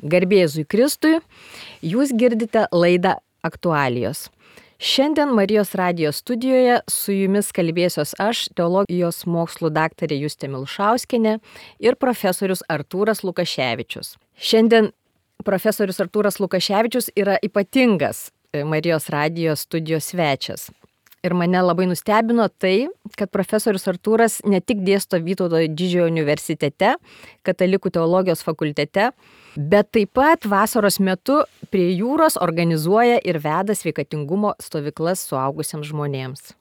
Garbė Jėzui Kristui, jūs girdite laidą Aktualijos. Šiandien Marijos radijo studijoje su jumis kalbėsiuos aš, teologijos mokslų daktarė Justė Milšauskienė ir profesorius Artūras Lukaševičius. Šiandien profesorius Artūras Lukaševičius yra ypatingas Marijos radijo studijos svečias. Ir mane labai nustebino tai, kad profesorius Artūras ne tik dėsto Vytauto Didžiojo universitete, katalikų teologijos fakultete, bet taip pat vasaros metu prie jūros organizuoja ir veda sveikatingumo stovyklas suaugusiems žmonėms.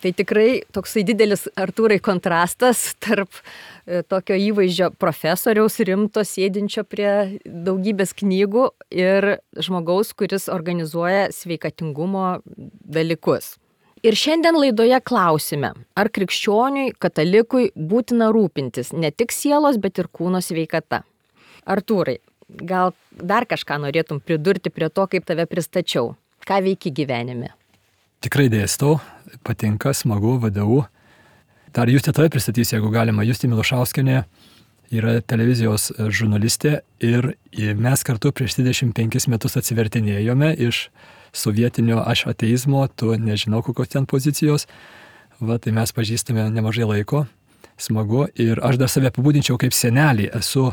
Tai tikrai toksai didelis, Artūrai, kontrastas tarp tokio įvaizdžio profesoriaus rimto sėdinčio prie daugybės knygų ir žmogaus, kuris organizuoja sveikatingumo dalykus. Ir šiandien laidoje klausime, ar krikščioniui, katalikui būtina rūpintis ne tik sielos, bet ir kūno sveikata. Artūrai, gal dar kažką norėtum pridurti prie to, kaip tave pristačiau? Ką veiki gyvenime? Tikrai dėstau, patinka, smagu, VDU. Dar Justė tave pristatys, jeigu galima. Justė Milšauskienė yra televizijos žurnalistė ir mes kartu prieš 25 metus atsivertinėjome iš sovietinio aš ateizmo, tu nežinau kokios ten pozicijos. Tai mes pažįstame nemažai laiko, smagu. Ir aš dar save apibūdinčiau kaip senelį. Esu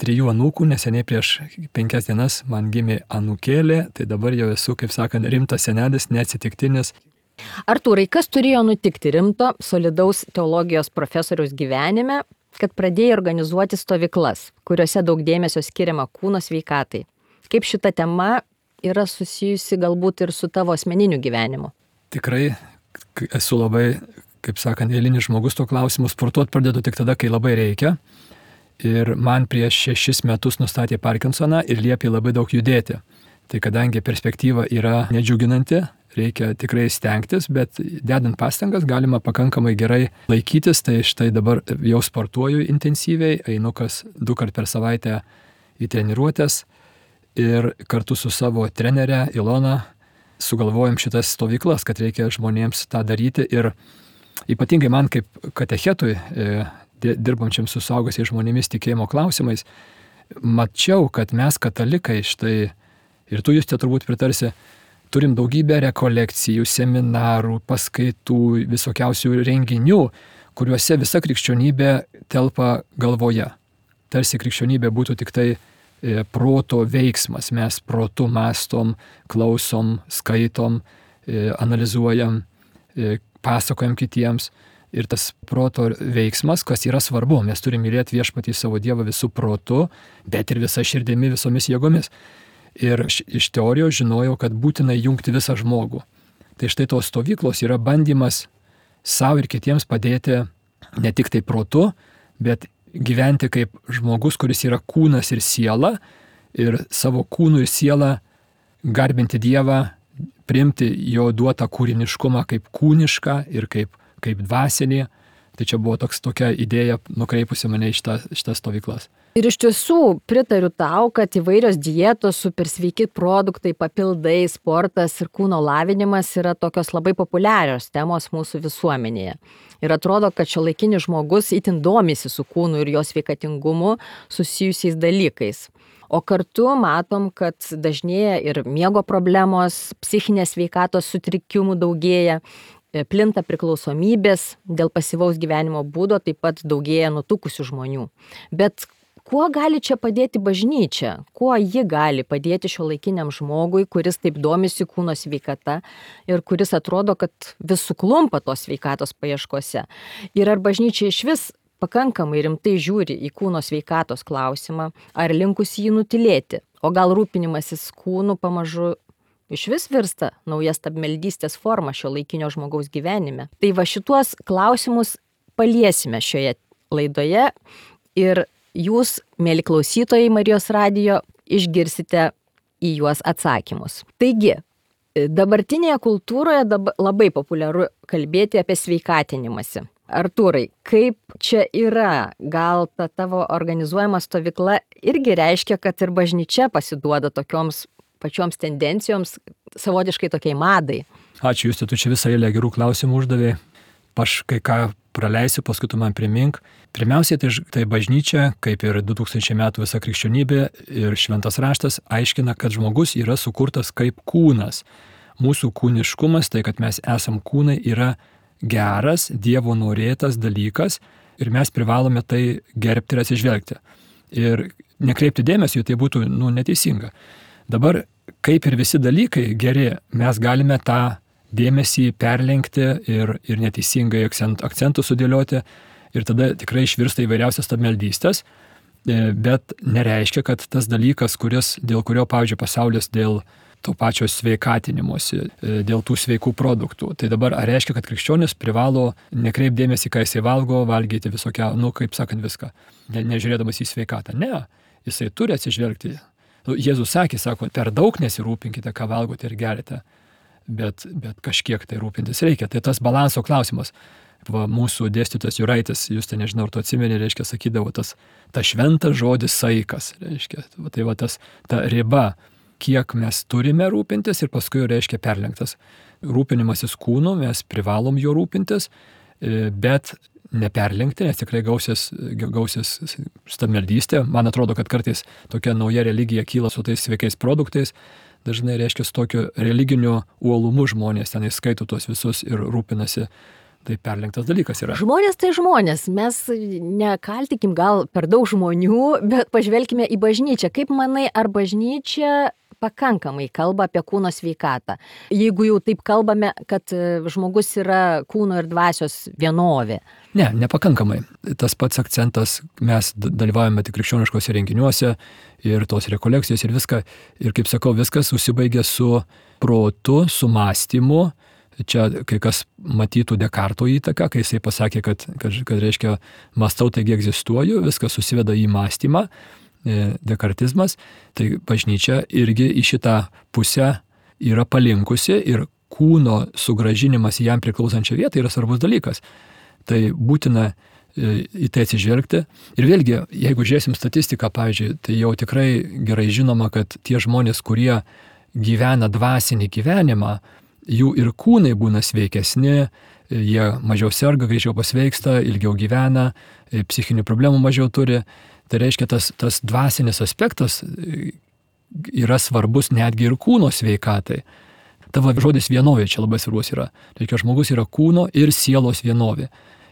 3 anūkų, neseniai prieš 5 dienas man gimė anūkėlė, tai dabar jau esu, kaip sakant, rimtas senelis, neatsitiktinis. Artūrai, kas turėjo nutikti rimto, solidaus teologijos profesoriaus gyvenime, kad pradėjai organizuoti stovyklas, kuriuose daug dėmesio skiriama kūno sveikatai? Kaip šita tema yra susijusi galbūt ir su tavo asmeniniu gyvenimu? Tikrai esu labai, kaip sakant, eilinis žmogus to klausimu. Sportuoti pradedu tik tada, kai labai reikia. Ir man prieš 6 metus nustatė Parkinsoną ir liepė labai daug judėti. Tai kadangi perspektyva yra nedžiuginanti, reikia tikrai stengtis, bet dedant pastangas galima pakankamai gerai laikytis. Tai štai dabar jau sportuoju intensyviai, einu kas 2 kartus per savaitę į treniruotės. Ir kartu su savo trenere Ilona sugalvojom šitas stovyklas, kad reikia žmonėms tą daryti. Ir ypatingai man kaip katechetui, dirbančiam su suaugusiais žmonėmis tikėjimo klausimais, mačiau, kad mes katalikai, štai, ir tu Justė turbūt pritarsi, turim daugybę rekolekcijų, seminarų, paskaitų, visokiausių renginių, kuriuose visa krikščionybė telpa galvoje. Tarsi krikščionybė būtų tik tai proto veiksmas. Mes protu mąstom, klausom, skaitom, analizuojam, pasakojam kitiems. Ir tas proto veiksmas, kas yra svarbu, mes turime mylėti viešpatį savo Dievą visų protu, bet ir visa širdimi, visomis jėgomis. Ir iš teorijos žinojau, kad būtina jungti visą žmogų. Tai štai tos stovyklos yra bandymas savo ir kitiems padėti ne tik tai protu, bet gyventi kaip žmogus, kuris yra kūnas ir siela, ir savo kūnų ir sielą garbinti Dievą, priimti jo duotą kūriniškumą kaip kūnišką ir kaip dvasinį. Tai čia buvo tokia idėja nukreipusi mane į šitas stovyklas. Ir iš tiesų pritariu tau, kad įvairios dietos, supersveiki produktai, papildai, sportas ir kūno lavinimas yra tokios labai populiarios temos mūsų visuomenėje. Ir atrodo, kad šiuolaikinis žmogus itin domisi su kūnu ir jo sveikatingumu susijusiais dalykais. O kartu matom, kad dažnėja ir miego problemos, psichinės sveikatos sutrikimų daugėja, plinta priklausomybės dėl pasyvaus gyvenimo būdo, taip pat daugėja nutukusių žmonių. Bet kuo gali čia padėti bažnyčia? Kuo ji gali padėti šiuolaikiniam žmogui, kuris taip domisi kūno sveikata ir kuris atrodo, kad vis suklumpa tos sveikatos paieškose? Ir ar bažnyčia iš vis pakankamai rimtai žiūri į kūno sveikatos klausimą, ar linkusi jį nutilėti? O gal rūpinimasis kūnu pamažu iš vis virsta nauja stabmeldystės forma šiuolaikinio žmogaus gyvenime? Tai va šituos klausimus paliesime šioje laidoje ir jūs, mėly klausytojai Marijos radijo, išgirsite į juos atsakymus. Taigi, dabartinėje kultūroje labai populiaru kalbėti apie sveikatinimąsi. Artūrai, kaip čia yra? Gal ta tavo organizuojama stovykla irgi reiškia, kad ir bažnyčia pasiduoda tokioms pačioms tendencijoms, savotiškai tokiai madai? Ačiū, Justė, tu čia visą eilę gerų klausimų uždavė. Aš kai ką praleisiu, paskui tu man primink. Pirmiausiai tai bažnyčia, kaip ir 2000 metų visa krikščionybė ir šventas raštas, aiškina, kad žmogus yra sukurtas kaip kūnas. Mūsų kūniškumas, tai kad mes esam kūnai, yra geras, Dievo norėtas dalykas ir mes privalome tai gerbti ir atsižvelgti. Ir nekreipti dėmesio, tai būtų neteisinga. Dabar, kaip ir visi dalykai geri, mes galime tą dėmesį perlenkti ir neteisingai akcentų sudėlioti ir tada tikrai išvirsta įvairiausias stabmeldystės, bet nereiškia, kad tas dalykas, dėl kurio, pavyzdžiui, pasaulis dėl to pačio sveikatinimuose, dėl tų sveikų produktų. Tai dabar ar reiškia, kad krikščionis privalo nekreipdėmėsi, ką jisai valgyti visokią, kaip sakant, viską, nežiūrėdamas į sveikatą. Ne, jisai turi atsižvelgti. Jėzus sako, per daug nesirūpinkite, ką valgote ir gerite, bet kažkiek tai rūpintis reikia. Tai tas balanso klausimas. Mūsų dėstytojas Juraitis, jūs tai nežinau, ar tu atsimeni, reiškia, sakydavo ta šventas žodis saikas, reiškia, tai ta riba, kiek mes turime rūpintis ir paskui, reiškia, perlenktas. Rūpinimasis kūnu, mes privalom jo rūpintis, bet neperlenkti, nes tikrai gausis stabmeldystė. Man atrodo, kad kartais tokia nauja religija kyla su tais sveikais produktais. Dažnai, reiškia, su tokiu religiniu uolumu žmonės ten įskaito tuos visus ir rūpinasi. Tai perlenktas dalykas yra. Žmonės tai žmonės. Mes nekaltikim gal per daug žmonių, bet pažvelkime į bažnyčią. Kaip manai, ar bažnyčia pakankamai kalba apie kūno sveikatą? Jeigu jau taip kalbame, kad žmogus yra kūno ir dvasios vienovė. Ne, nepakankamai. Tas pats akcentas, mes dalyvaujame tik krikščioniškose renginiuose ir tos rekolekcijos ir viską. Ir kaip sakau, viskas užsibaigia su protu, su mąstymu. Čia kai kas matytų Dekarto įtaką, kai jisai pasakė, kad reiškia, mąstau, taigi egzistuoju, viskas susiveda į mąstymą, dekartizmas, tai bažnyčia irgi į šitą pusę yra palinkusi ir kūno sugrąžinimas į jam priklausančią vietą yra svarbus dalykas. Tai būtina į tai atsižvelgti. Ir vėlgi, jeigu žiūrėsim statistiką, pavyzdžiui, tai jau tikrai gerai žinoma, kad tie žmonės, kurie gyvena dvasinį gyvenimą, jų ir kūnai būna sveikesni, jie mažiau serga, greičiau pasveiksta, ilgiau gyvena, psichinių problemų mažiau turi. Tai reiškia, tas dvasinis aspektas yra svarbus netgi ir kūno sveikatai. Tavo žodis vienovė čia labai svarbus yra. Reiškia, žmogus yra kūno ir sielos vienovė.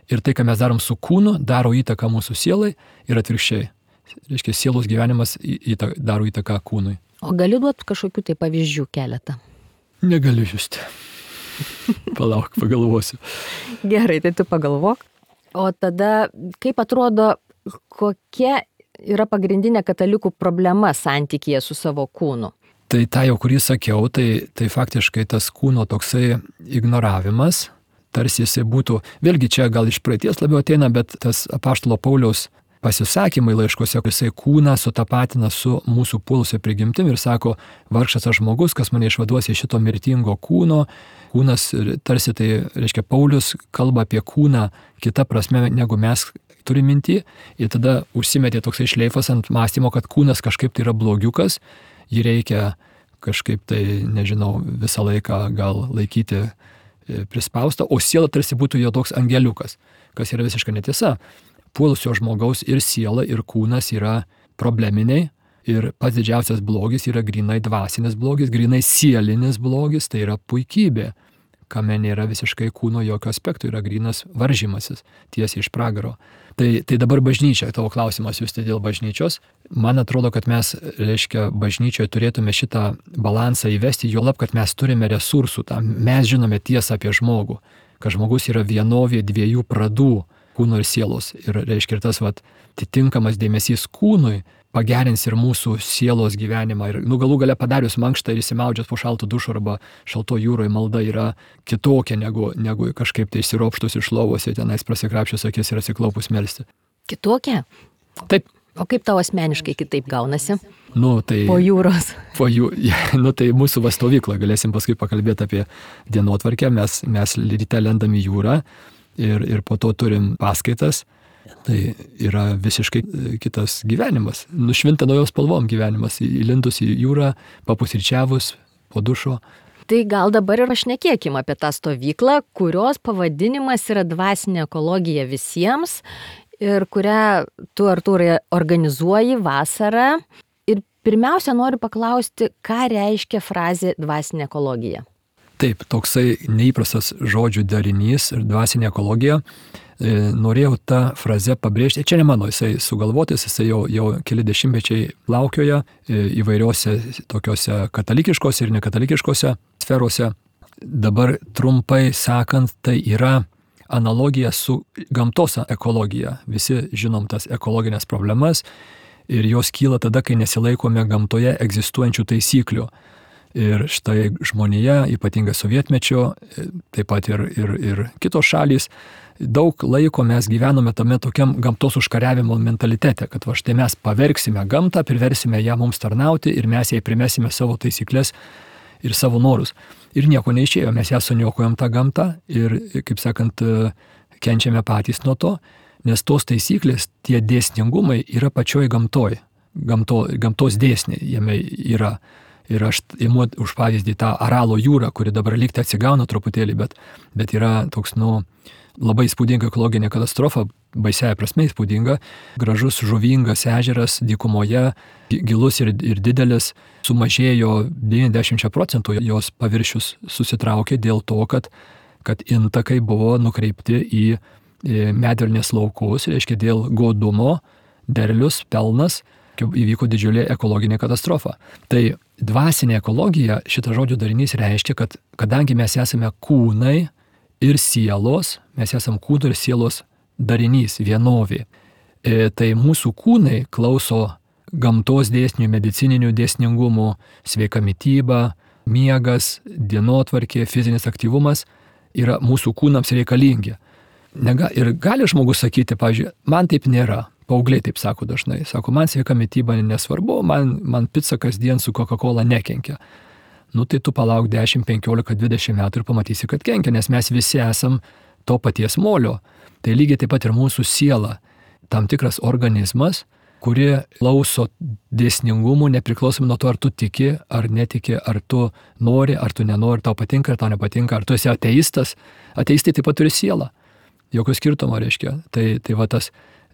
Ir tai, ką mes darom su kūnu, daro įtaką mūsų sielai ir atvirkščiai. Reiškia, sielos gyvenimas daro įtaką kūnui. O gali duoti kažkokių tai pavyzdžių keletą? Negaliu justi. Palauk, pagalvosiu. Gerai, tai tu pagalvok. O tada, kaip atrodo, kokia yra pagrindinė katalikų problema santykyje su savo kūnu? Tai tą jau, kurį sakiau, tai faktiškai tas kūno toksai ignoravimas, tarsi jisai būtų, vėlgi čia gal iš praeities labiau ateina, bet tas apaštalo Pauliaus pasisakymai laiškuose, jisai kūną sutapatina su mūsų puolusia prigimtim ir sako, vargšas aš žmogus, kas mane išvaduos iš šito mirtingo kūno. Kūnas, tarsi tai reiškia, Paulius kalba apie kūną kitą prasme, negu mes turime mintį. Ir tada užsimetė toksai šleifas ant mąstymo, kad kūnas kažkaip tai yra blogiukas, jį reikia kažkaip tai, nežinau, visą laiką gal laikyti prispaustą, o siela tarsi būtų jo toks angeliukas, kas yra visiškai netiesa. Puolusio žmogaus ir siela, ir kūnas yra probleminiai ir pats didžiausias blogis yra grinai dvasinis blogis, grinai sielinis blogis, tai yra puikybė, kame nėra visiškai kūno jokio aspektų, yra grinas varžymasis tiesiai iš pragaro. Tai dabar bažnyčia, tavo klausimas jūs tai dėl bažnyčios. Man atrodo, kad mes, reiškia, bažnyčioje turėtume šitą balansą įvesti, juolab, kad mes turime resursų tam. Mes žinome tiesą apie žmogų, kad žmogus yra vienovė dviejų pradų, kūno ir sielos. Ir reiškia, ir tas atitinkamas dėmesys kūnui pagerins ir mūsų sielos gyvenimą. Ir galų gale padarius mankštą ir įsimaudžius po šaltų dušu arba šalto jūroje malda yra kitokia negu kažkaip tai išsiropštus iš lovos ir tenais prasikrapščius akis ir atsiklaupus melsti. Kitokia? Taip. O kaip tau asmeniškai kitaip gaunasi? Tai, po jūros. Tai mūsų stovykla, galėsim paskui pakalbėti apie dienotvarkę. Mes ryte lendam į jūrą ir po to turim paskaitas. Tai yra visiškai kitas gyvenimas. Nušvinta naujos spalvom gyvenimas. Įlindus į jūrą, papusryčiavus, po dušo. Tai gal dabar ir pašnekėkim apie tą stovyklą, kurios pavadinimas yra dvasinė ekologija visiems ir kurią tu, Artūrai, organizuoji vasarą. Ir pirmiausia, noriu paklausti, ką reiškia frazė dvasinė ekologija? Taip, toksai neįprastas žodžių darinys ir dvasinė ekologija. Norėjau tą frazę pabrėžti. Čia ne mano, jisai sugalvotis, jisai jau keli dešimtmečiai laukioja įvairiose tokiose katalikiškose ir nekatalikiškose sferose. Dabar trumpai sakant, tai yra analogija su gamtos ekologija. Visi žinom tas ekologinės problemas ir jos kyla tada, kai nesilaikome gamtoje egzistuojančių taisyklių. Ir štai žmonija, ypatingai sovietmečio, taip pat ir kitos šalys, daug laiko mes gyvenome tame tokiam gamtos užkariavimo mentalitete, kad štai mes pavergsime gamtą, priversime ją mums tarnauti ir mes jai primesime savo taisyklės ir savo norus. Ir nieko neišėjo, mes ją suniokojam tą gamtą ir, kaip sakant, kenčiame patys nuo to, nes tos taisyklės, tie dėsningumai yra pačioj gamtoj. Gamtos dėsniai jame yra. Ir aš imu už pavyzdį tą Aralo jūrą, kuri dabar lygtai atsigauna truputėlį, bet yra toks, labai įspūdinga ekologinė katastrofa, baisiaja prasme įspūdinga, gražus žuvingas ežeras dykumoje, gilus ir didelis, sumažėjo 90% jos paviršius susitraukė dėl to, kad intakai buvo nukreipti į medvilnės laukus, reiškia dėl godumo, derlius, pelnas, įvyko didžiulė ekologinė katastrofa. Tai dvasinė ekologija, šitas žodžių darinys reiškia, kad kadangi mes esame kūnai ir sielos, mes esame kūnų ir sielos darinys, vienovė, tai mūsų kūnai klauso gamtos dėsnių, medicininių dėsningumų, sveika mityba, miegas, dienotvarkė, fizinis aktyvumas yra mūsų kūnams reikalingi. Ir gali žmogus sakyti, pavyzdžiui, man taip nėra. Paaugliai taip sako dažnai. Sako, man sveika mityba nesvarbu, man pica kasdien su Coca-Cola nekenkia. Tai tu palauk 10, 15, 20 metų ir pamatysi, kad kenkia, nes mes visi esam to paties molio. Tai lygiai taip pat ir mūsų siela. Tam tikras organizmas, kuri klauso dėsningumų, nepriklausomai nuo to, ar tu tiki, ar netiki, ar tu nori, ar tu nenori, tau patinka, ar tau nepatinka, ar tu esi ateistas. Ateistai taip pat turi sielą. Jokio skirtumo reiškia. Tai va tas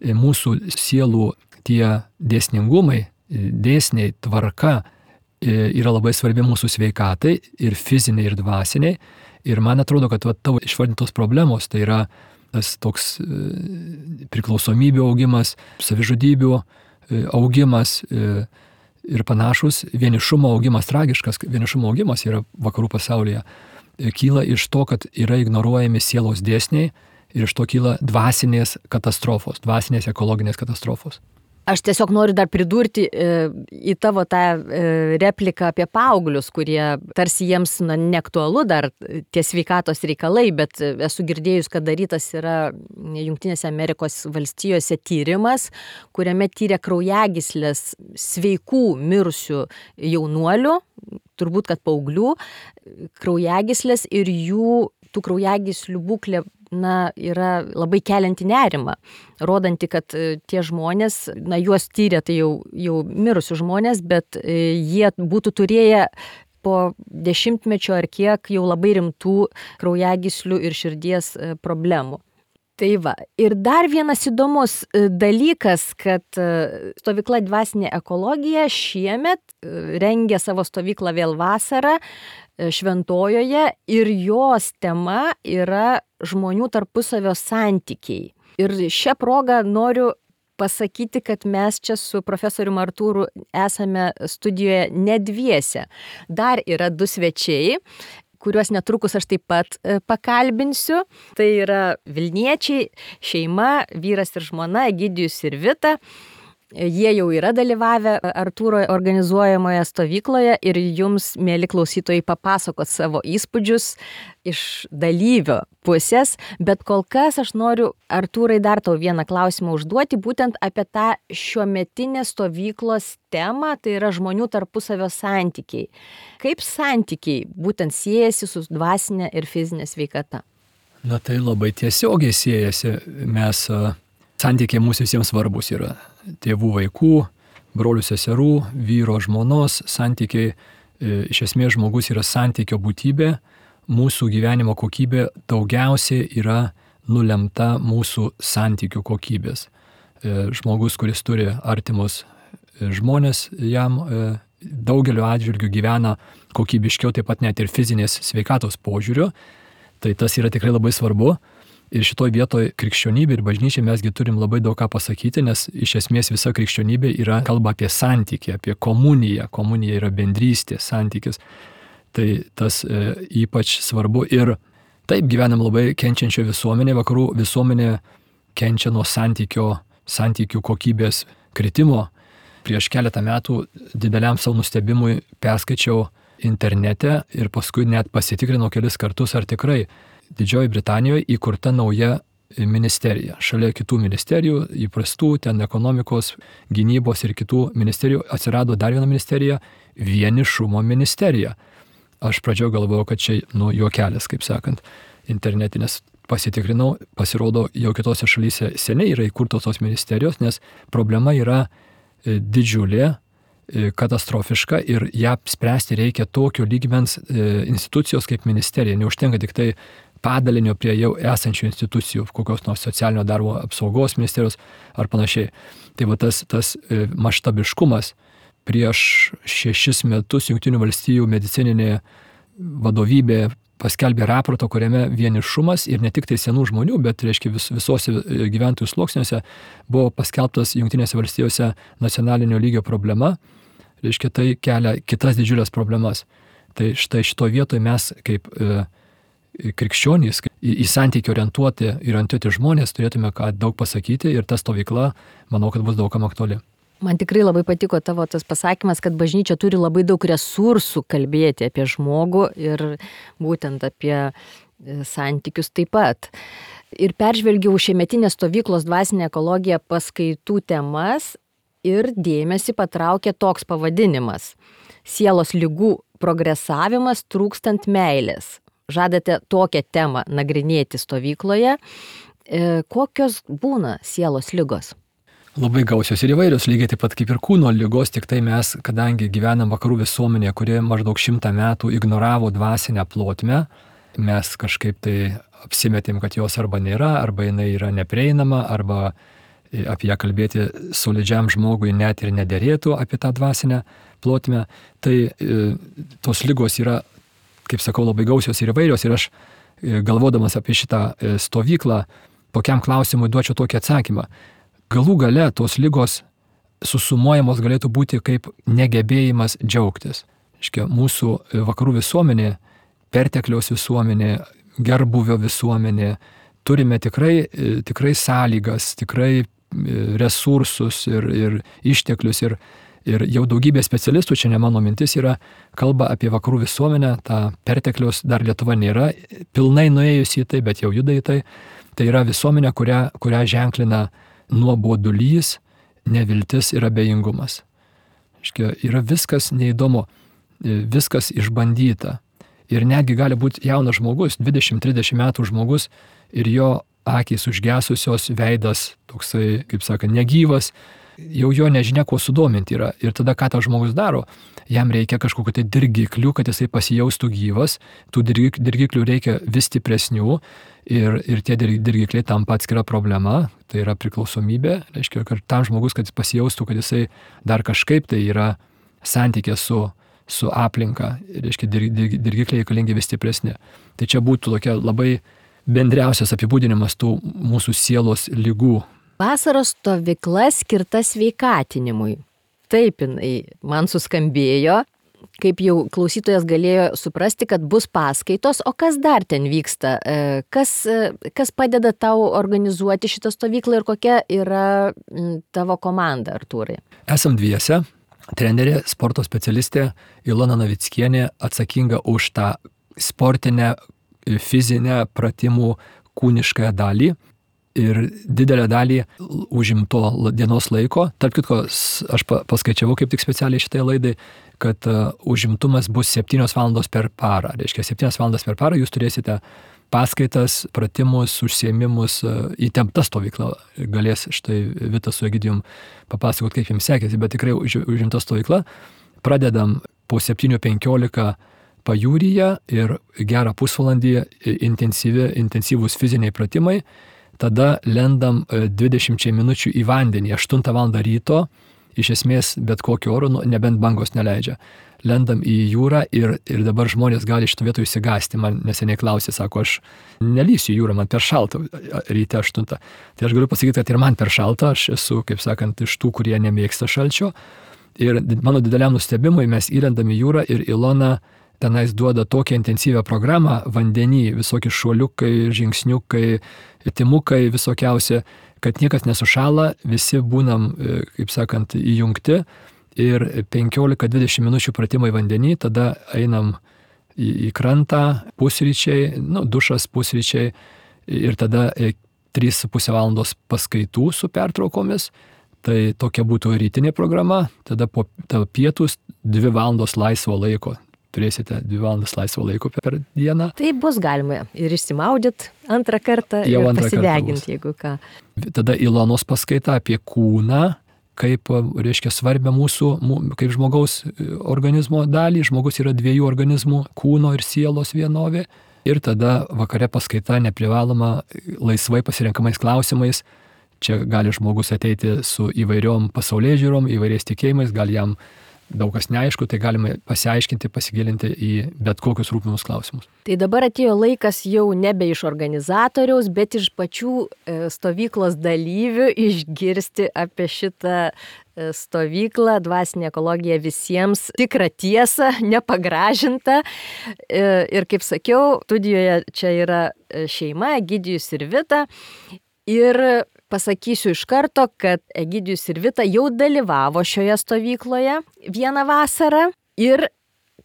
mūsų sielų tie dėsningumai, dėsniai, tvarka yra labai svarbi mūsų sveikatai ir fiziniai, ir dvasiniai. Ir man atrodo, kad tavo išvardintos problemos, tai yra tas toks priklausomybių augimas, savižudybių augimas ir panašus, vienišumo augimas, tragiškas vienišumo augimas yra vakarų pasaulyje, kyla iš to, kad yra ignoruojami sielos dėsniai, ir iš to kyla dvasinės katastrofos, dvasinės ekologinės katastrofos. Aš tiesiog noriu dar pridurti į tavo tą repliką apie paauglius, kurie tarsi jiems neaktualu dar tie sveikatos reikalai, bet esu girdėjus, kad darytas yra Jungtinėse Amerikos valstijose tyrimas, kuriame tyrė kraujagyslės sveikų mirusių jaunuolių, turbūt kad paauglių, kraujagyslės ir jų tų kraujagyslių būklė yra labai kelianti nerimą, rodanti, kad tie žmonės, juos tyrė tai jau mirusių žmonės, bet jie būtų turėję po 10-mečio ar kiek jau labai rimtų kraujagyslių ir širdies problemų. Tai va. Ir dar vienas įdomus dalykas, kad stovykla Dvasinė ekologija šiemet rengia savo stovyklą vėl vasarą Šventojoje ir jos tema yra žmonių tarpusavio santykiai. Ir šią progą noriu pasakyti, kad mes čia su profesoriumi Artūru esame studijoje ne dviese. Dar yra 2 svečiai, kuriuos netrukus aš taip pat pakalbinsiu. Tai yra Vilniečiai, šeima, vyras ir žmona, Egidijus ir Vita. Jie jau yra dalyvavę Artūro organizuojamoje stovykloje ir jums, mėly klausytojai, papasakot savo įspūdžius iš dalyvio pusės, bet kol kas aš noriu, Artūrai, dar tau vieną klausimą užduoti, būtent apie tą šiuometinę stovyklos temą, tai yra žmonių tarpusavio santykiai. Kaip santykiai būtent siejasi su dvasinė ir fizinė sveikata? Tai labai tiesiogiai siejasi. Santykiai mūsų visiems svarbus yra. Tėvų, vaikų, brolių, seserų, vyro, žmonos santykiai, Iš esmės žmogus yra santykio būtybė, mūsų gyvenimo kokybė daugiausiai yra nulemta mūsų santykių kokybės. Žmogus, kuris turi artimus žmonės, jam daugeliu atžvilgių gyvena kokybiškiau, taip pat net ir fizinės sveikatos požiūriu. Tai tas yra tikrai labai svarbu. Ir šitoj vietoj krikščionybė ir bažnyčia mesgi turim labai daug ką pasakyti, nes iš esmės visa krikščionybė yra kalba apie santykį, apie komuniją. Komunija yra bendrystė, santykis. Tai tas ypač svarbu. Ir taip gyvenam labai kenčiančio visuomenė, vakarų visuomenė kenčia nuo santykių kokybės kritimo. Prieš keletą metų dideliam savo nustebimui perskaičiau internete ir paskui net pasitikrinau kelis kartus, ar tikrai Didžioji Britanijoje įkurta nauja ministerija. Šalia kitų ministerijų, įprastų, ten ekonomikos, gynybos ir kitų ministerijų atsirado dar viena ministerija - vienišumo ministerija. Aš pradžioje galvojau, kad čia juokelis, kaip sakant, internetinės. Pasitikrinau, pasirodo, jau kitose šalyse seniai yra įkurtos tos ministerijos, nes problema yra didžiulė, katastrofiška ir ją spręsti reikia tokio lygmens institucijos kaip ministerija. Neužtenka tik tai padalinio prie jau esančių institucijų, kokios nors socialinio darbo apsaugos ministerijos ar panašiai. Tai va tas maštabiškumas. Prieš 6 metus Jungtinių valstijų medicininė vadovybė paskelbė raportą, kuriame vienišumas ir ne tik tai senų žmonių, bet reiškia visose gyventojų sluoksniuose buvo paskelbtas Jungtinėse valstijose nacionalinio lygio problema. Reiškia, tai kelia kitas didžiulės problemas. Tai štai šito vietoje mes kaip krikščionys, į santykį orientuoti žmonės turėtume ką daug pasakyti ir ta stovykla, manau, kad bus daugam aktuali. Man tikrai labai patiko tavo tas pasakymas, kad bažnyčia turi labai daug resursų kalbėti apie žmogų ir būtent apie santykius taip pat. Ir peržvelgiau šiemetinės stovyklos dvasinė ekologija paskaitų temas ir dėmesį patraukė toks pavadinimas - sielos ligų progresavimas trūkstant meilės. Žadate tokią temą nagrinėti stovykloje. Kokios būna sielos ligos? Labai gausios ir įvairios, lygiai taip pat kaip ir kūno ligos, tik tai mes, kadangi gyvenam vakarų visuomenėje, kurie maždaug 100 metų ignoravo dvasinę plotmę, mes kažkaip tai apsimetėm, kad jos arba nėra, arba jinai yra neprieinama, arba apie ją kalbėti solidžiam žmogui net ir nederėtų apie tą dvasinę plotmę. Tai tos ligos yra, kaip sakau, labai gausios ir įvairios. Ir aš galvodamas apie šitą stovyklą, tokiam klausimui duočiau tokį atsakymą. Galų gale tos ligos susumuojamos galėtų būti kaip negebėjimas džiaugtis. Iškia, mūsų vakarų visuomenė, pertekliaus visuomenė, gerbuvio visuomenė, turime tikrai sąlygas, tikrai resursus ir išteklius ir jau daugybė specialistų, čia ne mano mintis, kalba apie vakarų visuomenę, tą pertekliaus dar Lietuva nėra pilnai nuėjusi į tai, bet jau juda į tai. Tai yra visuomenė, kurią ženklina nuobodulys, neviltis ir abejingumas. Iškia, yra viskas neįdomu, viskas išbandyta. Ir netgi gali būti jaunas žmogus, 20-30 metų žmogus ir jo akys užgesusios, veidas toksai, kaip sakant, negyvas, jau jo nežinia, kuo sudominti yra. Ir tada ką tas žmogus daro? Jam reikia kažkokiu tai dirgiklių, kad jisai pasijaustų gyvas, tų dirgiklių reikia vis stipresnių ir tie dirgikliai tampa atskira problema, tai yra priklausomybė, reiškia, kad tam žmogus, kad jis pasijaustų, kad jisai dar kažkaip tai yra santykė su aplinka, reiškia, dirgikliai reikalingi vis stipresni. Tai čia būtų tokia labai bendriausias apibūdinimas tų mūsų sielos ligų. Vasaros stovykla skirta sveikatinimui. Taip, jinai man suskambėjo, kaip jau klausytojas galėjo suprasti, kad bus paskaitos, o kas dar ten vyksta? Kas padeda tau organizuoti šitą stovyklą ir kokia yra tavo komanda, Artūrai? Esam dviese. Trenerė, sporto specialistė Ilona Navickienė atsakinga už tą sportinę, fizinę pratimų kūniškąją dalį ir didelę dalį užimto dienos laiko. Tarp kitko, aš paskaičiavau kaip tik specialiai šitai laidai, kad užimtumas bus 7 valandos per parą. Reiškia, 7 valandas per parą jūs turėsite paskaitas, pratimus, užsiėmimus, įtempta stovykla. Galės štai Vitas su Egidijum papasakot, kaip jiems sekėsi, bet tikrai užimta stovykla. Pradedam po 7:15 pajūryje ir gerą pusvalandį intensyvūs fiziniai pratimai, tada lendam 20 minučių į vandenį, 8 val. Ryto, iš esmės bet kokiu oru, nebent bangos neleidžia. Lendam į jūrą ir dabar žmonės gali šito vietų įsigasti. Man neseniai klausė, sako, aš nelysiu į jūrą, man per šalta ryte 8. Tai aš galiu pasakyti, kad ir man per šalta, aš esu, kaip sakant, iš tų, kurie nemėgsta šalčio. Ir mano dideliam nustebimui mes įlendam į jūrą ir Ilona tenais duoda tokią intensyvią programą vandenį, visokie šuoliukai, žingsniukai, timukai visokiausi, kad niekas nesušala, visi būnam, kaip sakant, įjungti ir 15-20 minučių pratimai vandenį, tada einam į krantą, pusryčiai, dušas, pusryčiai ir tada 3,5 valandos paskaitų su pertraukomis. Tai tokia būtų rytinė programa, tada po pietus 2 valandos laisvo laiko. Turėsite 2 valandas laisvo laiko per dieną. Tai bus galima ir išsimaudyt antrą kartą ir pasideginti, jeigu ką. Tada Ilonos paskaita apie kūną, kaip, reiškia, svarbia mūsų, kaip žmogaus organizmo dalį. Žmogus yra 2 organizmų, kūno ir sielos vienovė. Ir tada vakare paskaita neprivaloma laisvai pasirenkamais klausimais. Čia gali žmogus ateiti su įvairiom pasaulėžiūrom, įvairiais tikėjimais, gal jam daug kas neaišku, tai galime pasiaiškinti, pasigilinti į bet kokius rūpimus klausimus. Tai dabar atėjo laikas jau nebe iš organizatoriaus, bet iš pačių stovyklos dalyvių išgirsti apie šitą stovyklą Dvasinė ekologija visiems, tikrą tiesą, nepagražintą. Ir kaip sakiau, studijoje čia yra šeima, Egidijus ir Vita. Ir pasakysiu iš karto, kad Egidijus ir Vita jau dalyvavo šioje stovykloje vieną vasarą ir,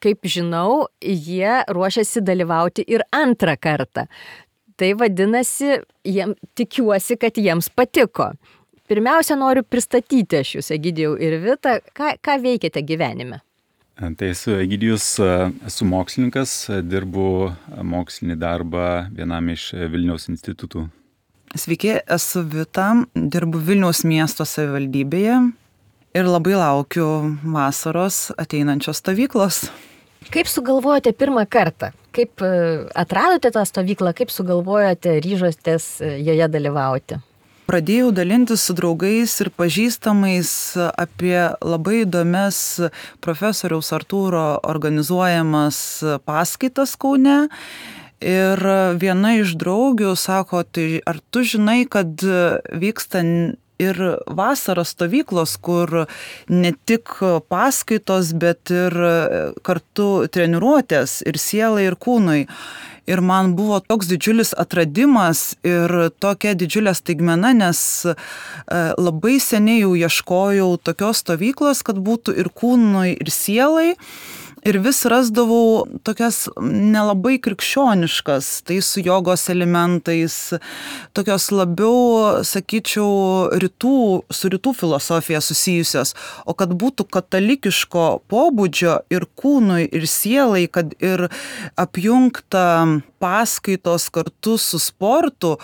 kaip žinau, jie ruošiasi dalyvauti ir antrą kartą. Tai vadinasi, tikiuosi, kad jiems patiko. Pirmiausia, noriu pristatyti aš jūs, Egidijau ir Vita, ką veikiate gyvenime. Tai esu Egidijus, esu mokslininkas, dirbu mokslinį darbą vienam iš Vilniaus institutų. Sveiki, esu Vita, dirbu Vilniaus miesto savivaldybėje ir labai laukiu vasaros ateinančios stovyklos. Kaip sugalvojote pirmą kartą? Kaip atradote tą stovyklą? Kaip sugalvojote, ryžotės joje dalyvauti? Pradėjau dalintis su draugais ir pažįstamais apie labai įdomias profesoriaus Artūro organizuojamas paskaitas Kaune. Ir viena iš draugių sako, tai ar tu žinai, kad vyksta ir vasaros stovyklos, kur ne tik paskaitos, bet ir kartu treniruotės ir sielai, ir kūnui. Ir man buvo toks didžiulis atradimas ir tokia didžiulė staigmena, nes labai seniai jau ieškojau tokios stovyklos, kad būtų ir kūnui, ir sielai. Ir vis rasdavau tokias nelabai krikščioniškas, tai su jogos elementais, tokios labiau, sakyčiau, su rytų filosofija susijusios, o kad būtų katalikiško pobūdžio ir kūnui, ir sielai, kad ir apjungta paskaitos kartu su sportu,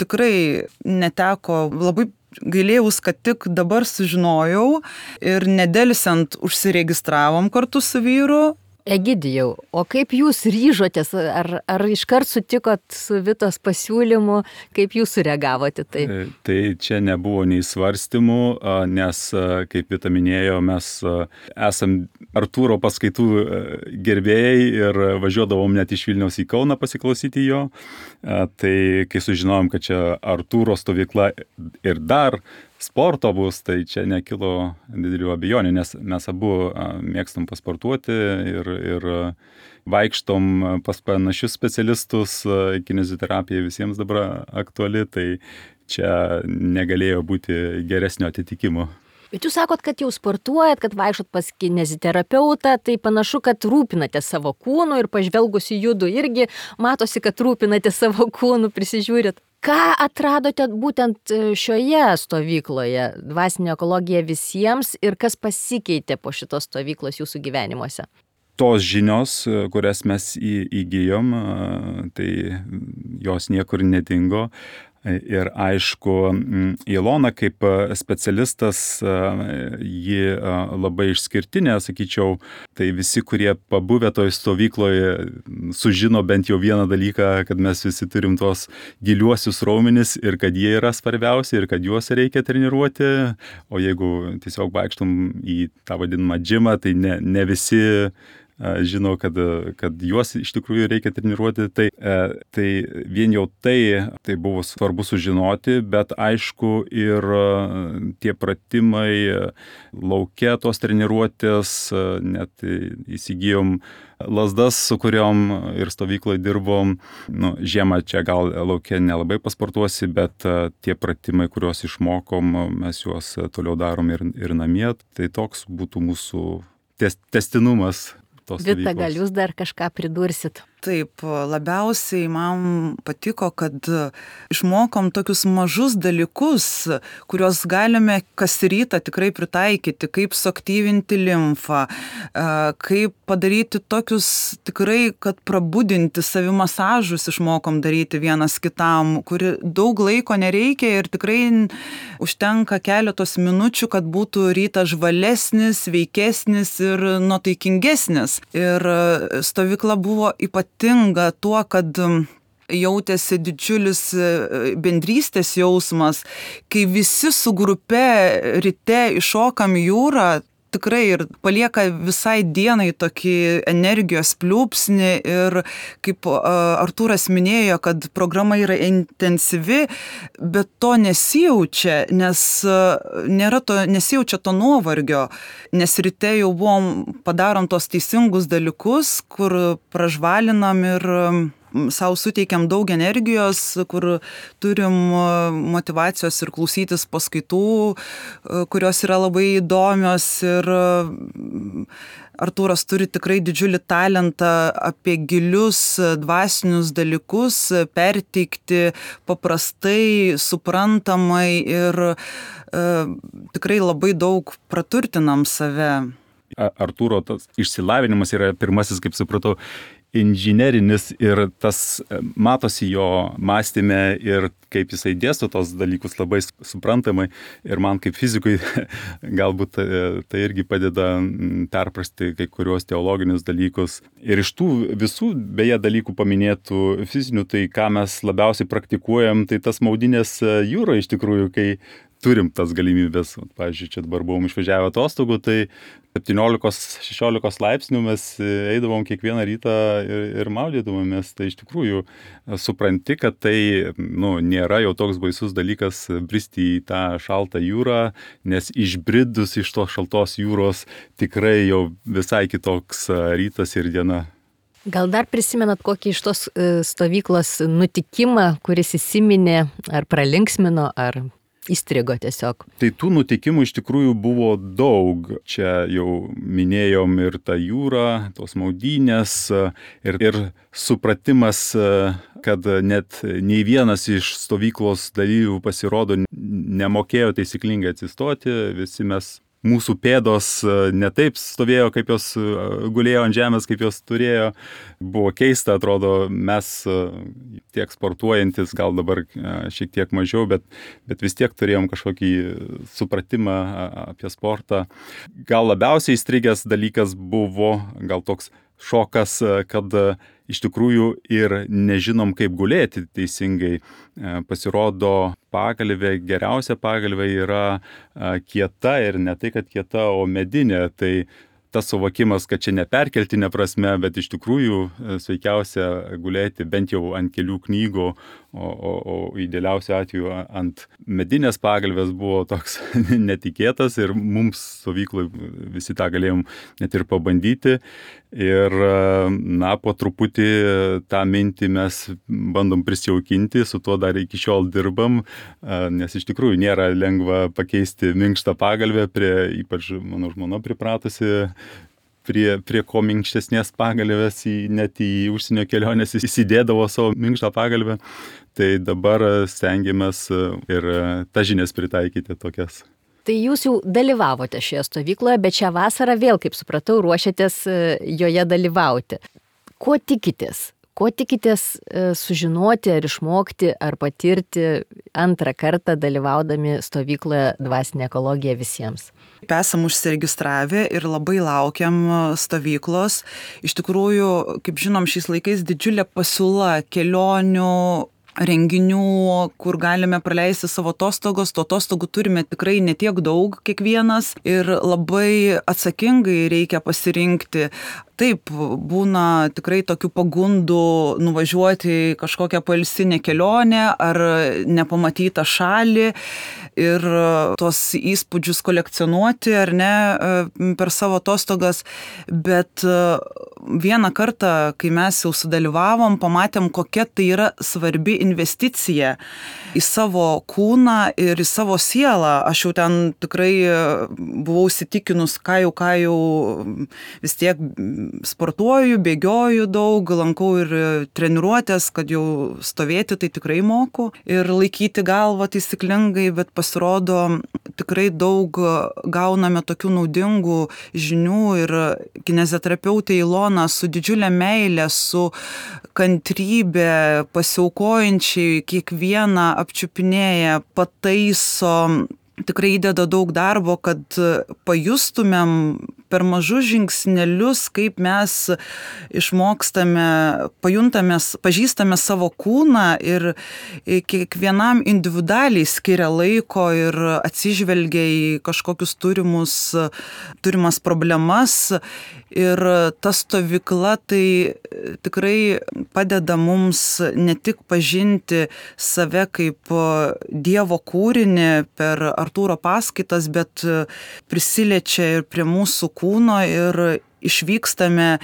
tikrai neteko. Labai gailėjaus, kad tik dabar sužinojau ir nedelsiant užsiregistravom kartu su vyru. Egidijau, o kaip jūs ryžotės, ar iškart sutikot su Vitos pasiūlymu, kaip jūs sureagavote tai? Tai čia nebuvo nei svarstymų, nes, kaip Vita minėjo, mes esam Artūro paskaitų gerbėjai ir važiuodavom net iš Vilniaus į Kauną pasiklausyti jo. Tai kai sužinojom, kad čia Artūro stovykla ir dar sporto bus, tai čia nekilo didelių abejonių, nes mes abu mėgstam pasportuoti ir vaikštom pas panašius specialistus, kineziterapija visiems dabar aktuali, tai čia negalėjo būti geresnio atitikimo. Bet jūs sakot, kad jau sportuojat, kad vaikštot pas kineziterapeutą, tai panašu, kad rūpinate savo kūnu ir pažvelgus į judų irgi matosi, kad rūpinate savo kūnu, prisižiūrit. Ką atradote būtent šioje stovykloje, Dvasinė ekologija visiems, ir kas pasikeitė po šitos stovyklos jūsų gyvenimuose? Tos žinios, kurias mes įgijom, tai jos niekur nedingo. Ir aišku, Ilona kaip specialistas, ji labai išskirtinė, sakyčiau, tai visi, kurie pabuvę toj stovykloje, sužino bent jau vieną dalyką, kad mes visi turim tos giliuosius raumenis ir kad jie yra svarbiausi ir kad juos reikia treniruoti, o jeigu tiesiog vaikštum į tą vadinamą džimą, tai ne visi žino, kad juos iš tikrųjų reikia treniruoti, tai vien jau tai buvo svarbu sužinoti, bet aišku ir tie pratimai lauke, tos treniruotės, net įsigijom lazdas, su kuriom ir stovykloje dirbom. Žiemą čia gal lauke nelabai pasportuosi, bet tie pratimai, kuriuos išmokom, mes juos toliau darom ir namie. Tai toks būtų mūsų tęstinumas. Vita, gal jūs dar kažką pridursit? Taip, labiausiai man patiko, kad išmokom tokius mažus dalykus, kuriuos galime kas rytą tikrai pritaikyti, kaip suaktyvinti limfą, kaip padaryti tokius tikrai, kad prabudinti savimasažus išmokom daryti vienas kitam, kuri daug laiko nereikia ir tikrai užtenka keletos minučių, kad būtų rytas žvalesnis, sveikesnis ir nuotaikingesnis. Ir stovykla buvo ypatinga tuo, kad jautėsi didžiulis bendrystės jausmas, kai visi su grupe ryte iššokam į jūrą, tikrai ir palieka visai dienai tokį energijos pliūpsnį ir kaip Artūras minėjo, kad programa yra intensyvi, bet to nesijaučia, nes nesijaučia to nuovargio, nes ryte jau padarom tos teisingus dalykus, kur pražvalinam ir sau suteikiam daug energijos, kur turim motyvacijos ir klausytis paskaitų, kurios yra labai įdomios ir Artūras turi tikrai didžiulį talentą apie gilius dvasinius dalykus perteikti paprastai, suprantamai ir tikrai labai daug praturtinam save. Artūro tas išsilavinimas yra pirmasis, kaip supratau, inžinerinis ir tas matosi jo mąstyme ir kaip jisai dėsto tos dalykus labai suprantamai ir man kaip fizikui galbūt tai irgi padeda perprasti kai kuriuos teologinius dalykus. Ir iš tų visų beje dalykų paminėtų fizinių, tai ką mes labiausiai praktikuojam, tai tas maudynės jūroje iš tikrųjų, kai turim tas galimybės. Pavyzdžiui, čia dabar buvom išvažiavę atostogų, tai 17-16 laipsnių mes eidavom kiekvieną rytą ir maudydavomės. Tai iš tikrųjų supranti, kad tai nėra jau toks baisus dalykas bristi į tą šaltą jūrą, nes išbridus iš tos šaltos jūros tikrai jau visai kitoks rytas ir diena. Gal dar prisimenat kokį iš tos stovyklos nutikimą, kuris įsiminė ar pralinksmino, ar įstrigo tiesiog? Tai tų nutikimų iš tikrųjų buvo daug. Čia jau minėjom ir tą jūrą, tos maudynės ir supratimas, kad net nei vienas iš stovyklos dalyvių pasirodo nemokėjo taisyklingai atsistoti. Visi mūsų pėdos ne taip stovėjo, kaip jos gulėjo ant žemės, kaip jos turėjo. Buvo keista, atrodo, mes tiek sportuojantis, gal dabar šiek tiek mažiau, bet vis tiek turėjom kažkokį supratimą apie sportą. Gal labiausiai įstrigęs dalykas buvo gal toks šokas, kad iš tikrųjų ir nežinom, kaip gulėti teisingai. Pasirodo, pagalvė, geriausia pagalvė yra kieta ir ne tai, kad kieta, o medinė. Tai tas suvokimas, kad čia ne perkeltinė prasme, bet iš tikrųjų sveikiausia gulėti bent jau ant kelių knygų, o idealiausiu atveju ant medinės pagalvės buvo toks netikėtas ir mums stovyklai visi tą galėjom net ir pabandyti. Ir po truputį tą mintį mes bandom prisijaukinti, su tuo dar iki šiol dirbam, nes iš tikrųjų nėra lengva pakeisti minkštą pagalvę, ypač mano žmona pripratusi prie ko minkštesnės pagalvės, net į užsienio kelionės įsidėdavo savo minkštą pagalvę. Tai dabar stengiamės ir tas žinias pritaikyti tokias. Tai jūs jau dalyvavote šioje stovykloje, bet šią vasarą vėl, kaip supratau, ruošiatės joje dalyvauti. Ko tikitės? Ko tikitės sužinoti ar išmokti ar patirti antrą kartą dalyvaudami stovykloje Dvasinė ekologija visiems? Esam užsiregistravę ir labai laukiam stovyklos. Iš tikrųjų, kaip žinom, šiais laikais didžiulė pasiūla kelionių, renginių, kur galime praleisti savo atostogos. Tų atostogų turime tikrai ne tiek daug kiekvienas ir labai atsakingai reikia pasirinkti. Taip, būna tikrai tokių pagundų nuvažiuoti į kažkokią poilsinę kelionę ar nepamatytą šalį ir tos įspūdžius kolekcionuoti ar ne per savo atostogas. Bet vieną kartą, kai mes jau sudalyvavom, pamatėm, kokia tai yra svarbi investicija į savo kūną ir į savo sielą. Aš jau ten tikrai buvau įsitikinus, ką jau vis tiek sportuoju, bėgioju daug, lankau ir treniruotės, kad jau stovėti tai tikrai moku ir laikyti galvą taisyklingai, bet pasirodo tikrai daug gauname tokių naudingų žinių ir kineziterapeutė Ilona su didžiulė meilė, su kantrybė, pasiaukojančiai kiekvieną apčiupinėja, pataiso, tikrai įdeda daug darbo, kad pajustumėm per mažus žingsnelius, kaip mes išmokstame, pažįstame savo kūną ir kiekvienam individualiai skiria laiko ir atsižvelgia į kažkokius turimas problemas. Ir ta stovykla tai tikrai padeda mums ne tik pažinti save kaip Dievo kūrinį per Artūro paskaitas, bet prisiliečia ir prie mūsų kūno ir išvykstame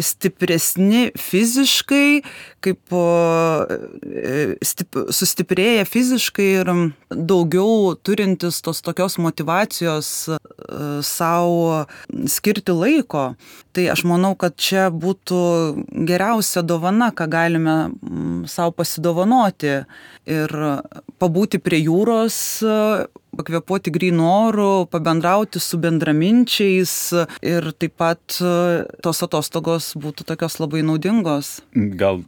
stipresni fiziškai, kaip sustiprėję fiziškai ir daugiau turintis tos tokios motyvacijos savo skirti laiko. Tai aš manau, kad čia būtų geriausia dovana, ką galime savo pasidovanoti ir pabūti prie jūros, pakvėpuoti grynu oru, pabendrauti su bendraminčiais ir taip pat tos atostogos būtų tokios labai naudingos. Gal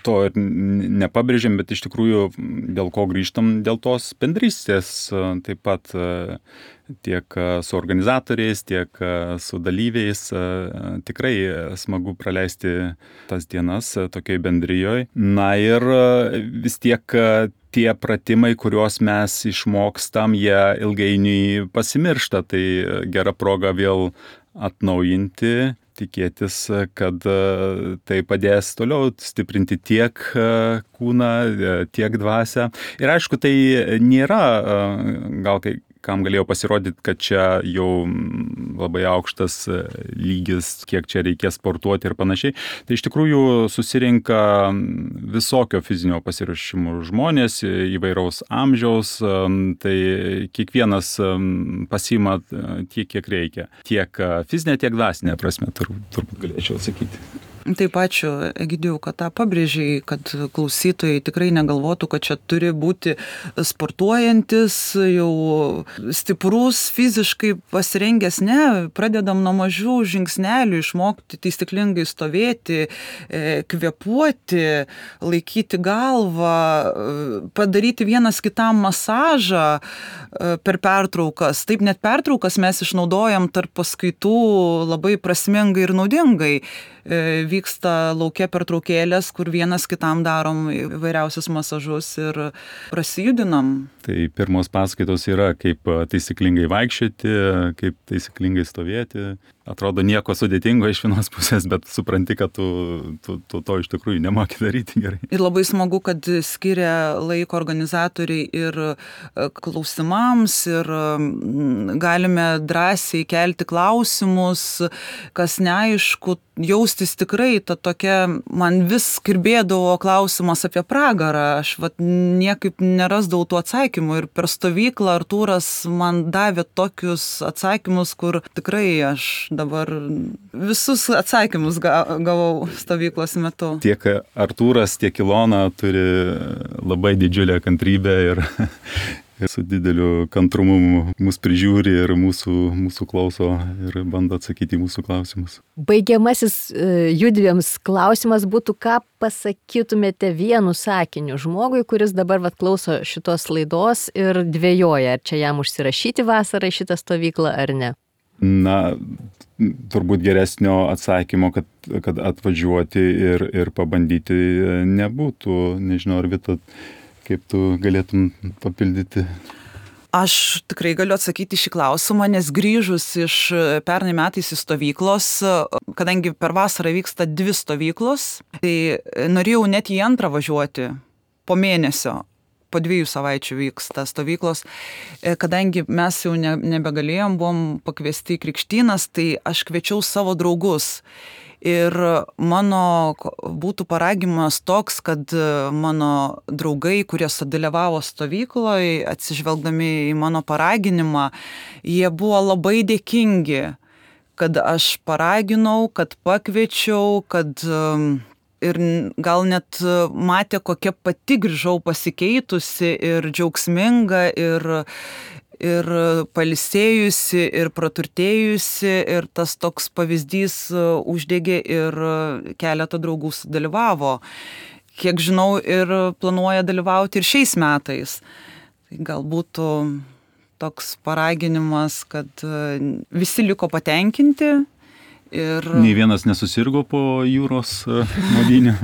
to ir nepabrėžėm, bet iš tikrųjų dėl ko grįžtam, dėl tos bendrystės taip pat tiek su organizatoriais, tiek su dalyviais. Tikrai smagu praleisti tas dienas tokioj bendrijoj. Na ir vis tiek tie pratimai, kuriuos mes išmokstam, jie ilgainiui pasimiršta. Tai gera proga vėl atnaujinti, tikėtis, kad tai padės toliau stiprinti tiek kūną, tiek dvasią. Ir aišku, tai nėra gal kam galėjo pasirodyti, kad čia jau labai aukštas lygis, kiek čia reikės sportuoti ir panašiai. Tai iš tikrųjų susirinka visokio fizinio pasiruošimo žmonės, įvairaus amžiaus, tai kiekvienas pasiima tiek, kiek reikia. Tiek fizinė, tiek dvasinė prasme, turbūt galėčiau sakyti. Taip, ačiū, Egidijau, kad tą pabrėžiai, kad klausytojai tikrai negalvotų, kad čia turi būti sportuojantis, jau stiprus, fiziškai pasirengęs. Ne, pradedam nuo mažų žingsnelių, išmokti taisyklingai stovėti, kvėpuoti, laikyti galvą, padaryti vienas kitam masažą per pertraukas. Taip, net pertraukas mes išnaudojam tarp paskaitų labai prasmingai ir naudingai. Vyksta lauke pertraukėlės, kur vienas kitam darom įvairiausius masažus ir prasijudinam. Tai pirmos paskaitos yra, kaip taisyklingai vaikščioti, kaip taisyklingai stovėti. Atrodo nieko sudėtingo iš vienos pusės, bet supranti, kad tu to iš tikrųjų nemoki daryti gerai. Ir labai smagu, kad skiria laiko organizatoriai ir klausimams, ir galime drąsiai kelti klausimus, kas neaišku, jaustis tikrai ta tokia, man vis kirbėdavo klausimas apie pragarą, aš niekaip nerasdavau tų atsakymų ir per stovyklą Artūras man davė tokius atsakymus, kur tikrai aš dabar visus atsakymus gavau stovyklos metu. Tiek Artūras, tiek Ilona turi labai didžiulę kantrybę ir su dideliu kantrumu mus prižiūri ir mūsų klauso ir bando atsakyti į mūsų klausimus. Baigiamasis judviems klausimas būtų, ką pasakytumėte vienu sakiniu žmogui, kuris dabar klauso šitos laidos ir dvejoja, ar čia jam užsirašyti vasarą į šitą stovyklą ar ne? Na, turbūt geresnio atsakymo, kad atvažiuoti ir pabandyti nebūtų. Nežinau, ar Vita, kaip tu galėtum papildyti? Aš tikrai galiu atsakyti šį klausimą, nes grįžus iš pernai metais į stovyklos, kadangi per vasarą vyksta 2 stovyklos, tai norėjau net į antrą važiuoti po mėnesio. Po 2 savaičių vyksta stovyklos, kadangi mes jau nebegalėjom, buvom pakviesti į krikštynas, tai aš kviečiau savo draugus. Ir mano būtų paragimas toks, kad mano draugai, kurie dalyvavo stovykloje, atsižvelgdami į mano paraginimą, jie buvo labai dėkingi, kad aš paraginau, kad pakviečiau, kad ir gal net matė, kokia pati grįžau pasikeitusi ir džiaugsminga, ir pailsėjusi, ir praturtėjusi, ir tas toks pavyzdys uždegė ir keletą draugų dalyvavo. Kiek žinau, ir planuoja dalyvauti ir šiais metais. Tai galbūt toks paraginimas, kad visi liko patenkinti. Ir... Nei vienas nesusirgo po jūros maudynių.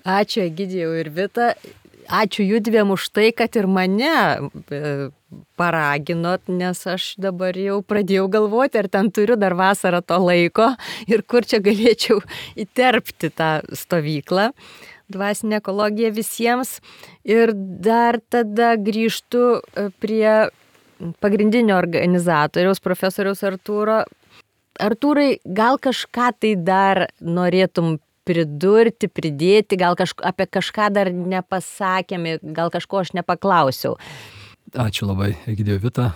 Ačiū Egidijau ir Vita. Ačiū judviem už tai, kad ir mane paraginot, nes aš dabar jau pradėjau galvoti, ar ten turiu dar vasarą to laiko ir kur čia galėčiau įterpti tą stovyklą. Dvasinė ekologija visiems. Ir dar tada grįžtu prie pagrindinio organizatoriaus, profesoriaus Artūro. Artūrai, gal kažką tai dar norėtum pridurti, pridėti, gal apie kažką dar nepasakėme, gal kažko aš nepaklausiau. Ačiū labai, Egidijau, Vita.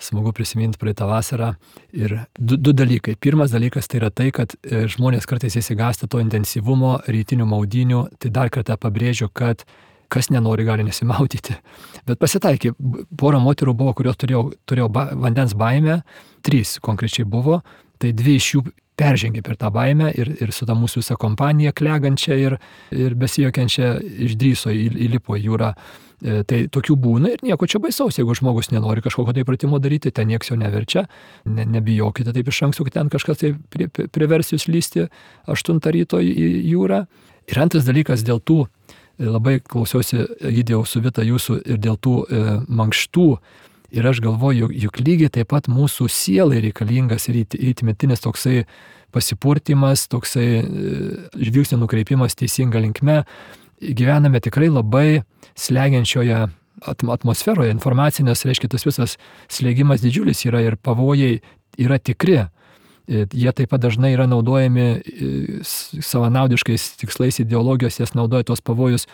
Smagu prisiminti praeitą vasarą. Ir du dalykai. Pirmas dalykas tai yra tai, kad žmonės kartais įsigąsta to intensyvumo rytinių maudynių. Tai dar kartą pabrėžiu, kad kas nenori, gali nesimaudyti. Bet pasitaikė, pora moterų buvo, kurios turėjo vandens baimę, 3 konkrečiai buvo. Tai 2 iš jų peržengė per tą baimę ir su ta mūsų visą kompanija klegančia ir besijokiančia išdryso įlipo į jūrą. Tai tokių būna ir nieko čia baisaus, jeigu žmogus nenori kažkokio tai pratimo daryti, ten nieks jo neverčia, nebijokite taip iš anksto, kad ten kažkas tai privers jūs lysti 8 ryto į jūrą. Ir antras dalykas dėl tų, labai klausiausi Egidijau su Vita jūsų ir dėl tų mankštų. Ir aš galvoju, juk lygiai taip pat mūsų sielai reikalingas ir įtmetinis toksai pasipurtimas, toksai žvilgsnio nukreipimas teisinga linkme. Gyvename tikrai labai slegiančioje atmosferoje. Informacinės, reiškia, tas visas slėgimas didžiulis yra ir pavojai yra tikri. Jie taip pat dažnai yra naudojami savanaudiškais tikslais, ideologijos, jas naudoja tos pavojus,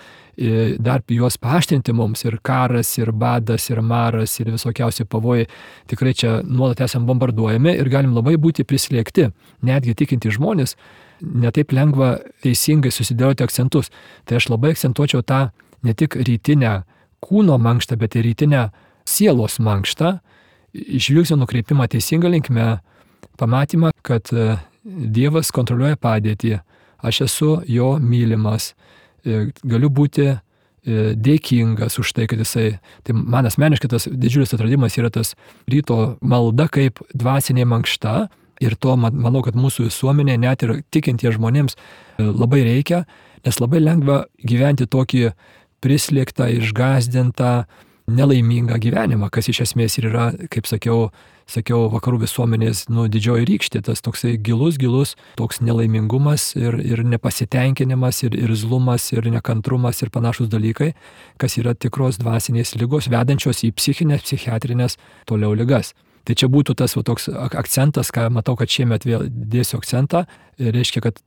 dar juos paaštrinti mums, ir karas, ir badas, ir maras, ir visokiausi pavojai. Tikrai čia nuolat esam bombarduojami ir galim labai būti prislėgti. Netgi tikinti žmonės netaip lengva teisingai susidėlioti akcentus. Tai aš labai akcentuočiau tą ne tik rytinę kūno mankštą, bet ir rytinę sielos mankštą, žvilgsnio nukreipimą teisinga linkme, pamatymą, kad Dievas kontroliuoja padėtį, aš esu jo mylimas, galiu būti dėkingas už tai, kad jisai, tai man asmeniškai tas didžiulis atradimas yra tas ryto malda kaip dvasinė mankšta ir to manau, kad mūsų visuomenė net ir tikintie žmonėms labai reikia, nes labai lengva gyventi tokį prislėgtą, išgąsdintą, nelaimingą gyvenimą, kas iš esmės ir yra, kaip sakiau, vakarų visuomenės didžioji rykštė, tas toksai gilus, toks nelaimingumas ir nepasitenkinimas, ir irzlumas, ir nekantrumas, ir panašus dalykai, kas yra tikros dvasinės ligos, vedančios į psichinės, psichiatrinės toliau ligas. Tai čia būtų tas toks akcentas, ką matau, kad šiemet vėl dėsiu akcentą, reiškia, kad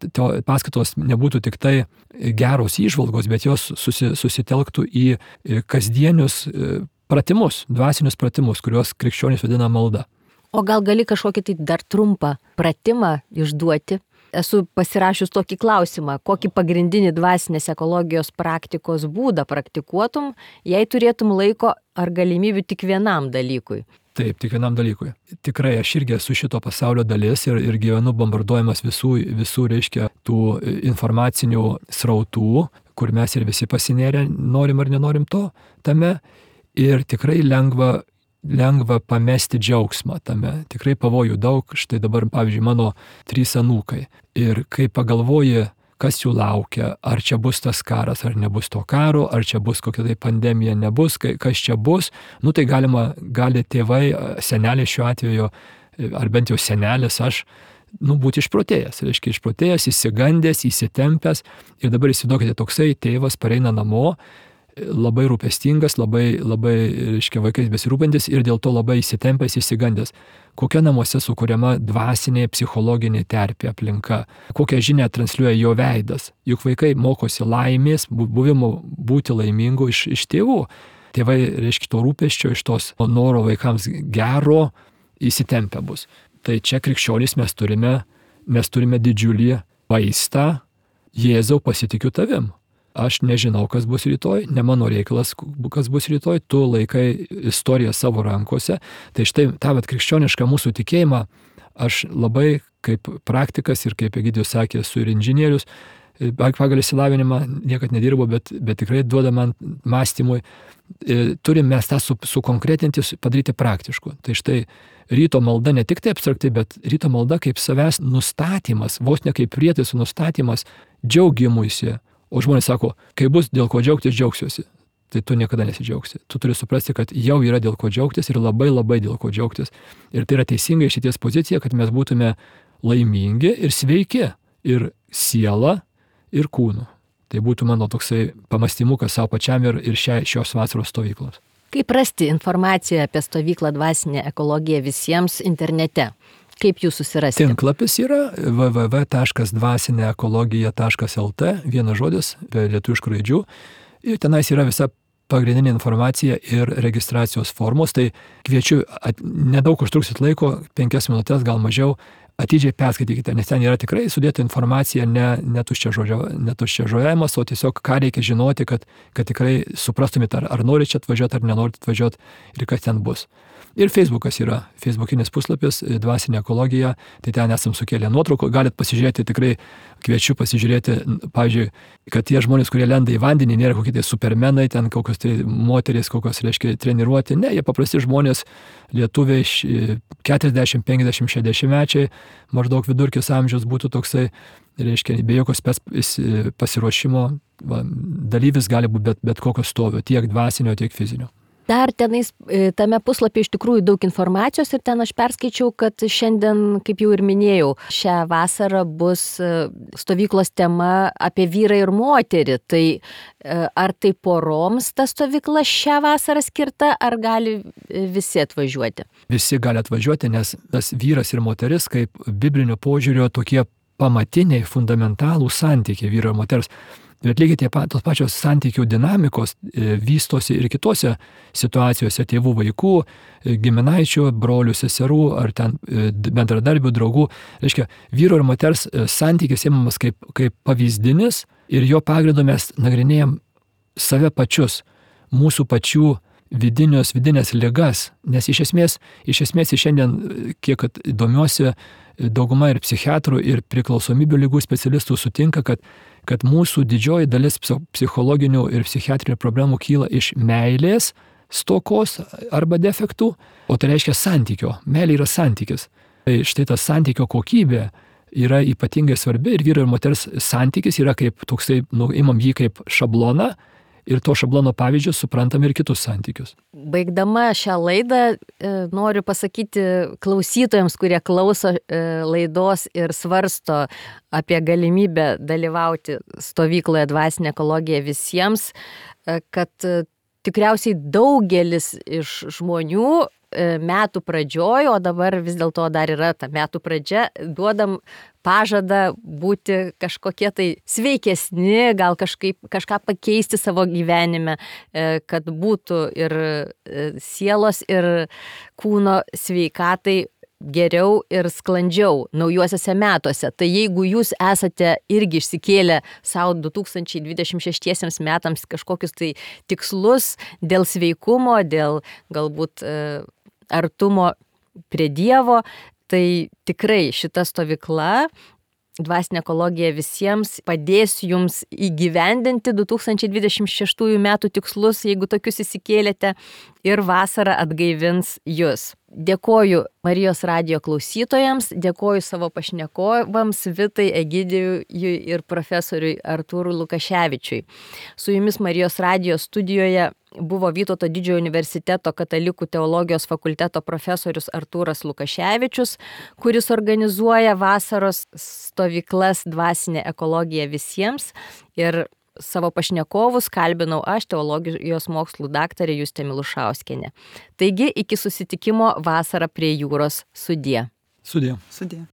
paskaitos nebūtų tik tai geros įžvalgos, bet jos susitelktų į kasdienius pratimus, dvasinius pratimus, kuriuos krikščionys vadina malda. O gal gali kažkokį tai dar trumpą pratimą išduoti? Esu pasirašius tokį klausimą, kokį pagrindinį dvasinės ekologijos praktikos būdą praktikuotum, jei turėtum laiko ar galimybių tik vienam dalykui? Taip, tik vienam dalykui. Tikrai aš irgi esu šito pasaulio dalis ir gyvenu bombarduojamas visų, reiškia, tų informacinių srautų, kur mes ir visi pasinėrę, norim ar nenorim tame. Ir tikrai lengva pamesti džiaugsmą tame. Tikrai pavojų daug. Štai dabar, pavyzdžiui, mano 3 anūkai. Ir kai pagalvoji, kas jų laukia, ar čia bus tas karas, ar nebus to karo, ar čia bus kokia tai pandemija, nebus, kas čia bus, tai gali tėvai, seneliai šiuo atveju, ar bent jau senelis, aš, būti išprotėjęs, reiškia išprotėjęs, įsigandęs, įsitempęs. Ir dabar įsivaizduokite, toksai tėvas pareina namo, labai rūpestingas, labai, reiškia, vaikais besirūpintis ir dėl to labai įsitempęs, įsigandęs. Kokia namuose sukuriama dvasinė, psichologinė terpė aplinka, kokią žinią transliuoja jo veidas. Juk vaikai mokosi laimės, buvimo būti laimingų iš tėvų. Tėvai, reiškia, to rūpesčio, iš tos noro vaikams gero įsitempę bus. Tai čia krikščionys mes turime didžiulį vaistą: Jėzau, pasitikiu tavim. Aš nežinau, kas bus rytoj, ne mano reikalas, kas bus rytoj, tu laikai istoriją savo rankose. Tai štai tą krikščionišką mūsų tikėjimą aš labai kaip praktikas ir kaip Egidijus sakė, esu ir inžinierius, pagal išsilavinimą niekad nedirbu, bet tikrai duoda man mąstymui. Turim mes tą sukonkretinti, padaryti praktišku. Tai štai ryto malda ne tik tai abstraktai, bet ryto malda kaip savęs nustatymas, vos ne kaip prietaisų nustatymas džiaugimuisi. O žmonės sako, kai bus dėl ko džiaugtis, džiaugsiuosi. Tai tu niekada nesidžiaugsi. Tu turi suprasti, kad jau yra dėl ko džiaugtis ir labai dėl ko džiaugtis. Ir tai yra teisinga šities pozicija, kad mes būtume laimingi ir sveiki. Ir siela, ir kūnu. Tai būtų mano toksai pamastymukas savo pačiam ir šios vasaros stovyklos. Kaip rasti informaciją apie stovyklą Dvasinė ekologija visiems internete? Kaip jūs susirasti? Tinklapis yra www.dvasineekologija.lt, vienas žodis, be lietuviškų raidžių. Ir tenais yra visa pagrindinė informacija ir registracijos formos. Tai kviečiu, nedaug užtruksit laiko, 5 minutės, gal mažiau, atidžiai perskaitykite, nes ten yra tikrai sudėta informacija, ne tuščiažodžiavimas, o tiesiog ką reikia žinoti, kad tikrai suprastumėte, ar norite čia atvažiuoti, ar nenorite atvažiuoti ir kas ten bus. Ir Facebookas yra, Facebookinis puslapis Dvasinė ekologija, tai ten esam sukėlę nuotraukų, galit pasižiūrėti, tikrai kviečiu pasižiūrėti, pavyzdžiui, kad tie žmonės, kurie lenda į vandenį, nėra kokie tai supermenai, ten kokios tai moterys, kokios, reiškia, treniruoti, ne, jie paprasti žmonės, lietuviai, 40, 50, 60 mečiai, maždaug vidurkis amžiaus būtų toksai, reiškia, be jokios pasiruošimo, dalyvis gali būti bet kokio stovio, tiek dvasinio, tiek fizinio. Dar tenais, tame puslapyje iš tikrųjų daug informacijos ir ten aš perskaičiau, kad šiandien, kaip jau ir minėjau, šią vasarą bus stovyklos tema apie vyrą ir moterį. Tai ar tai poroms ta stovykla šią vasarą skirta, ar gali visi atvažiuoti? Visi gali atvažiuoti, nes tas vyras ir moteris kaip biblinio požiūrio tokie pamatiniai, fundamentalų santykiai vyro ir moters. Bet lygiai tos pačios santykių dinamikos vystosi ir kitose situacijose tėvų, vaikų, giminaičių, brolių, seserų ar ten bendradarbių, draugų. Reiškia, vyro ir moters santykis imamas kaip pavyzdinis ir jo pagrindu mes nagrinėjam save pačius, mūsų pačių vidinės ligas, nes iš esmės šiandien, kiek domiuosi, dauguma ir psichiatrų, ir priklausomybių ligų specialistų sutinka, kad mūsų didžioji dalis psichologinių ir psichiatrinių problemų kyla iš meilės stokos arba defektų, o tai reiškia santykio. Meilė yra santykis. Tai štai ta santykio kokybė yra ypatingai svarbi ir vyro ir moters santykis yra kaip toksai, imam jį kaip šabloną, ir to šablono pavyzdžius suprantam ir kitus santykius. Baigdama šią laidą noriu pasakyti klausytojams, kurie klauso laidos ir svarsto apie galimybę dalyvauti stovykloje Dvasinė ekologija visiems, kad tikriausiai daugelis iš žmonių metų pradžioj, o dabar vis dėlto dar yra ta metų pradžia, duodam pažadą būti kažkokie tai sveikesni, gal kažką pakeisti savo gyvenime, kad būtų ir sielos, ir kūno sveikatai geriau ir sklandžiau naujuosiuose metuose. Tai jeigu jūs esate irgi išsikėlę savo 2026 metams kažkokius tai tikslus dėl sveikumo, dėl galbūt artumo prie Dievo, tai tikrai šita stovykla Dvasinė ekologija visiems padės jums įgyvendinti 2026 metų tikslus, jeigu tokius įsikėlėte, ir vasara atgaivins jūs. Dėkoju Marijos radijo klausytojams, dėkoju savo pašnekovams Vitai, Egidijui ir profesoriui Artūrui Lukaševičiui. Su jumis Marijos radijo studijoje buvo Vytauto Didžiojo universiteto katalikų teologijos fakulteto profesorius Artūras Lukaševičius, kuris organizuoja vasaros stovyklas Dvasinė ekologija visiems, ir savo pašnekovus kalbinau aš, teologijos mokslų daktarė Justė Milušauskienė. Taigi, iki susitikimo vasarą prie jūros. Sudie. Sudie. Sudie.